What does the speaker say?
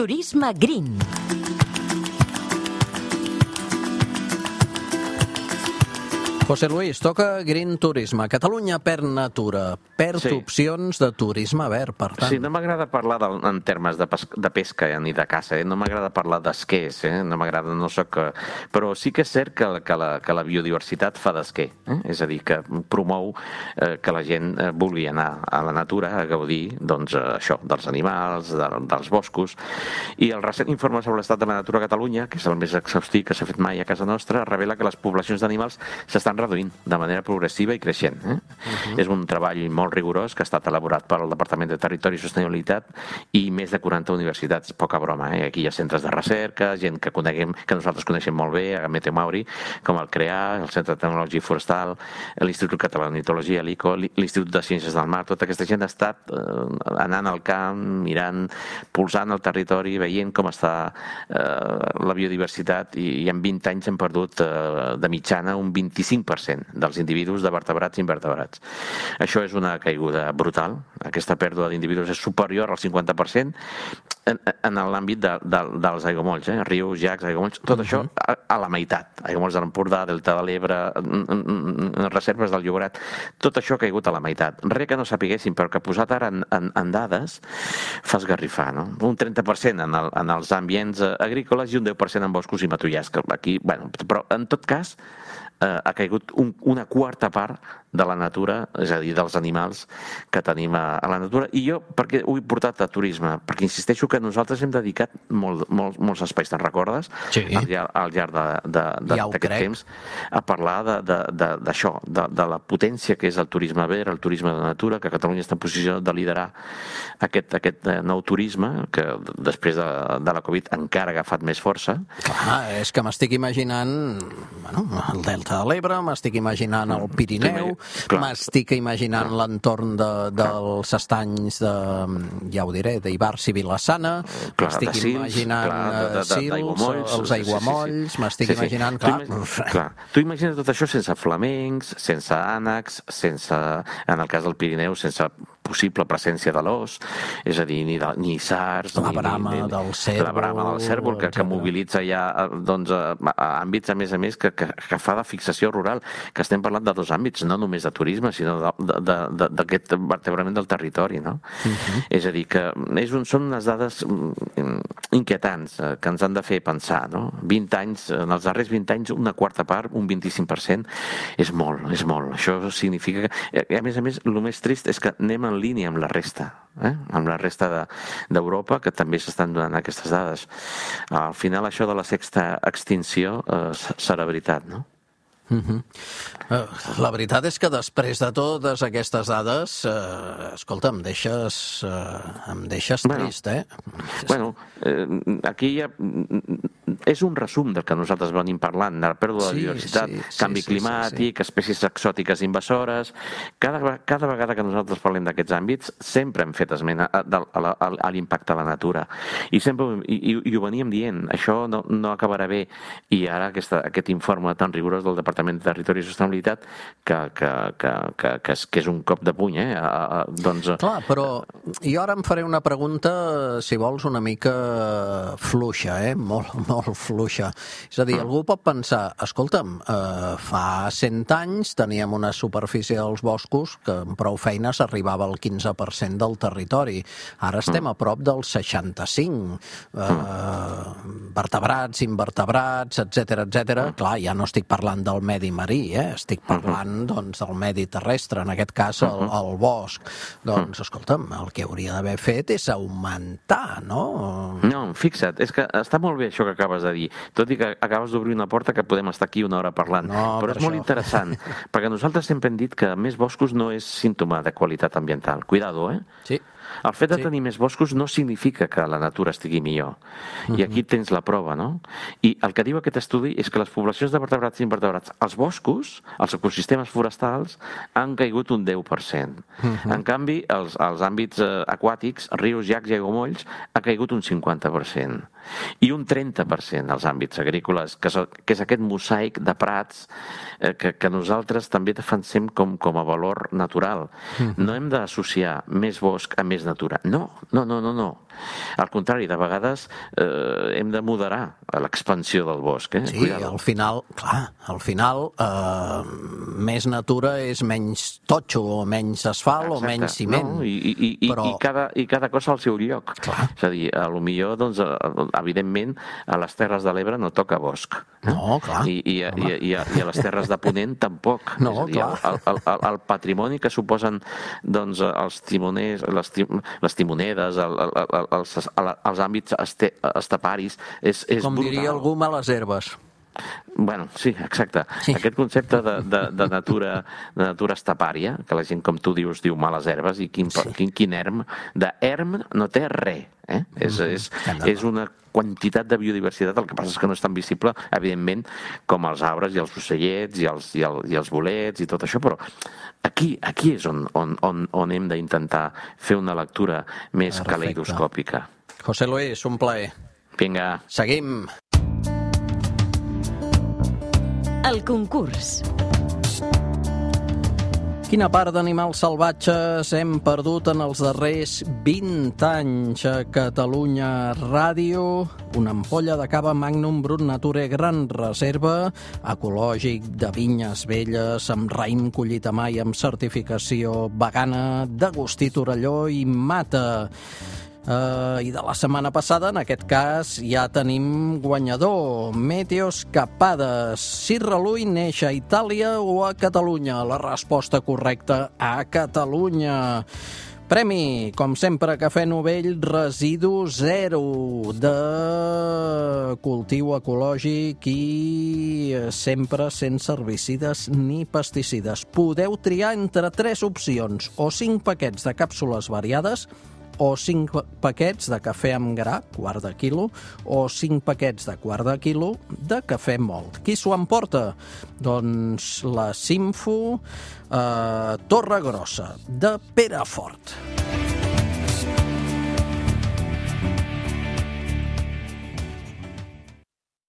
Turisme Green. José Luis, toca Green Turisme. Catalunya perd natura, perd opcions de turisme verd, per tant. Sí, no m'agrada parlar en termes de pesca ni de caça, no m'agrada parlar d'esquers, no m'agrada, no soc... Però sí que és cert que la biodiversitat fa d'esquer, és a dir, que promou que la gent vulgui anar a la natura a gaudir, doncs, això, dels animals, dels boscos. I el recent informe sobre l'estat de la natura a Catalunya, que és el més exhaustiu que s'ha fet mai a casa nostra, revela que les poblacions d'animals s'estan reduint de manera progressiva i creixent. És un treball molt rigorós que ha estat elaborat pel Departament de Territori i Sostenibilitat i més de 40 universitats, poca broma. Aquí hi ha centres de recerca, gent que nosaltres coneixem molt bé, a Meteomauri, com el CREA, el Centre de Tecnologia Forestal, l'Institut Català d'Ornitologia, l'ICO, l'Institut de Ciències del Mar. Tota aquesta gent ha estat anant al camp, mirant, pulsant el territori, veient com està la biodiversitat, i en 20 anys hem perdut de mitjana un 25% dels individus de vertebrats i invertebrats. Això és una caiguda brutal. Aquesta pèrdua d'individus és superior al 50% en l'àmbit dels aiguamolls, rius, llacs, aiguamolls, tot això a la meitat. Aiguamolls de l'Empordà, Delta de l'Ebre, reserves del Llobregat, tot això ha caigut a la meitat. Res que no sapiguéssim, però que posat ara en dades fa esgarrifar, no? Un 30% en els ambients agrícoles i un 10% en boscos i matollars. Aquí, bueno, però en tot cas ha caigut una quarta part de la natura, és a dir, dels animals que tenim a la natura. I jo, per què ho he portat a turisme? Perquè insisteixo que nosaltres hem dedicat molts espais, te'n recordes? Sí. Al llarg d'aquest temps, a parlar d'això, de la potència que és el turisme verd, el turisme de natura, que Catalunya està en posició de liderar aquest nou turisme, que després de la Covid encara ha agafat més força. Clar, és que m'estic imaginant el Delta de l'Ebre, m'estic imaginant el Pirineu, m'estic imaginant l'entorn dels estanys ja ho diré, d'Ivars i Vilassana, m'estic imaginant Sils, els aiguamolls, m'estic imaginant... Tu imagines tot això sense flamencs, sense ànecs, sense, en el cas del Pirineu, sense possible presència de l'os, és a dir, ni sards... La brama del cérvol, que mobilitza ja àmbits, a més, que fa de fixació rural, que estem parlant de dos àmbits, no només de turisme, sinó d'aquest vertebrament del territori, no? És a dir, que són unes dades inquietants que ens han de fer pensar, no? 20 anys, en els darrers 20 anys, una quarta part, un 25%, és molt. Això significa que, a més, el més trist és que anem en línia amb la resta, amb la resta d'Europa, que també s'estan donant aquestes dades. Al final, això de la sexta extinció serà veritat, no? La veritat és que després de totes aquestes dades, escolta, em deixes trist, Bueno, aquí ja és un resum del que nosaltres venim parlant, de la pèrdua de biodiversitat, canvi climàtic, espècies exòtiques invasores. Cada vegada que nosaltres parlem d'aquests àmbits, sempre hem fet esment a l'impacte a la natura. I ho veníem dient, això no acabarà bé. I ara aquest informe tan rigorós del Departament de Territori i Sostenibilitat, que és un cop de puny, doncs... Clar, però jo ara em faré una pregunta, si vols, una mica fluixa, molt fluixa. És a dir, algú pot pensar, escolta'm, fa 100 anys teníem una superfície dels boscos que amb prou feines arribava al 15% del territori. Ara estem a prop del 65%. Vertebrats, invertebrats, etcètera. Clar, ja no estic parlant del medi marí, estic parlant del medi terrestre, en aquest cas el bosc. Doncs, escolta'm, el que hauria d'haver fet és augmentar, no? No, fixa't, és que està molt bé això que acabes de dir, tot i que acabes d'obrir una porta que podem estar aquí una hora parlant, però és molt interessant, perquè nosaltres sempre hem dit que més boscos no és símptoma de qualitat ambiental. Cuidado, Sí. El fet de tenir més boscos no significa que la natura estigui millor. I aquí tens la prova, no? I el que diu aquest estudi és que les poblacions de vertebrats i invertebrats, els boscos, els ecosistemes forestals, han caigut un 10%. En canvi, els àmbits aquàtics, rius, llacs i aiguamolls, ha caigut un 50%. I un 30% als àmbits agrícoles, que és aquest mosaic de prats que nosaltres també defensem com a valor natural. No hem d'associar més bosc a més més natura. No. Al contrari, de vegades hem de moderar l'expansió del bosc. Sí, Cuidado. al final, més natura és menys totxo o menys asfalt o menys ciment. No? I cada cosa al seu lloc. Clar. És a dir, potser, doncs, evidentment, a les Terres de l'Ebre no toca bosc. No, clar. I a les Terres de Ponent tampoc. No, és a dir, el patrimoni que suposen doncs, els timoners, les timonedes, els àmbits esteparis, és com brutal. diria algú, males herbes. Bueno, sí, exacte. Sí. Aquest concepte de natura estepària, que la gent, com tu dius, diu males herbes, i quin erm, d'erm no té res. És una quantitat de biodiversitat, el que passa és que no és tan visible, evidentment, com els arbres i els ocellets i els bolets i tot això, però aquí és on hem d'intentar fer una lectura més caleidoscòpica. José Luis, un plaer. Vinga. Seguim. El concurs. Quina part d'animals salvatges hem perdut en els darrers 20 anys a Catalunya Ràdio? Una ampolla de cava Magnum Brut Nature Gran Reserva, ecològic, de vinyes velles, amb raïm collit a mà i amb certificació vegana d'Agustí Torelló i Mata. I de la setmana passada, en aquest cas, ja tenim guanyador. Meteos Capades. Sirralui neix a Itàlia o a Catalunya? La resposta correcta, a Catalunya. Premi, com sempre, Cafè Novell Residu Zero, de cultiu ecològic i sempre sense herbicides ni pesticides. Podeu triar entre 3 opcions, o 5 paquets de càpsules variades, o 5 paquets de cafè amb gra, quart de quilo, o 5 paquets de quart de quilo de cafè mòlt. Qui s'ho emporta? Doncs la Simfo Torregrossa, de Perafort.